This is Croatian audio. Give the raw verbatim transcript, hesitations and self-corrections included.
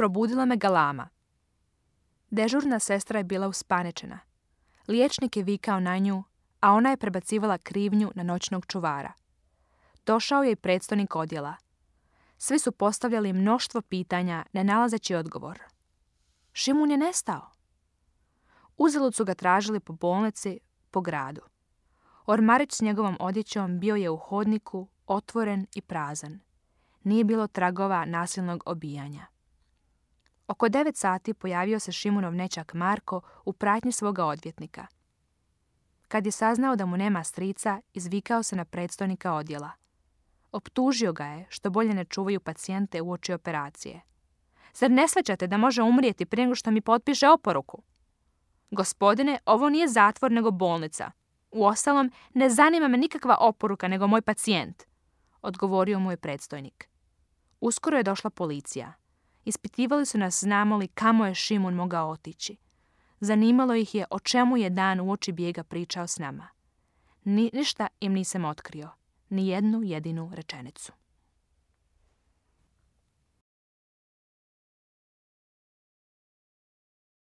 probudila me galama. Dežurna sestra je bila uspaničena. Liječnik je vikao na nju, a ona je prebacivala krivnju na noćnog čuvara. Došao je i predstojnik odjela. Svi su postavljali mnoštvo pitanja, ne nalazeći odgovor. Šimun je nestao. Uzalud su ga tražili po bolnici, po gradu. Ormarić s njegovom odjećom bio je u hodniku, otvoren i prazan. Nije bilo tragova nasilnog obijanja. Oko devet sati pojavio se Šimunov nećak Marko u pratnji svoga odvjetnika. Kad je saznao da mu nema strica, izvikao se na predstojnika odjela. Optužio ga je što bolje ne čuvaju pacijente uoči operacije. Zar ne shvaćate da može umrijeti prije nego što mi potpiše oporuku? Gospodine, ovo nije zatvor nego bolnica. Uostalom, ne zanima me nikakva oporuka nego moj pacijent, odgovorio mu je predstojnik. Uskoro je došla policija. Ispitivali su nas znamo li kamo je Šimun mogao otići. Zanimalo ih je o čemu je dan uoči bijega pričao s nama. Ni, ništa im nisam otkrio, ni jednu jedinu rečenicu.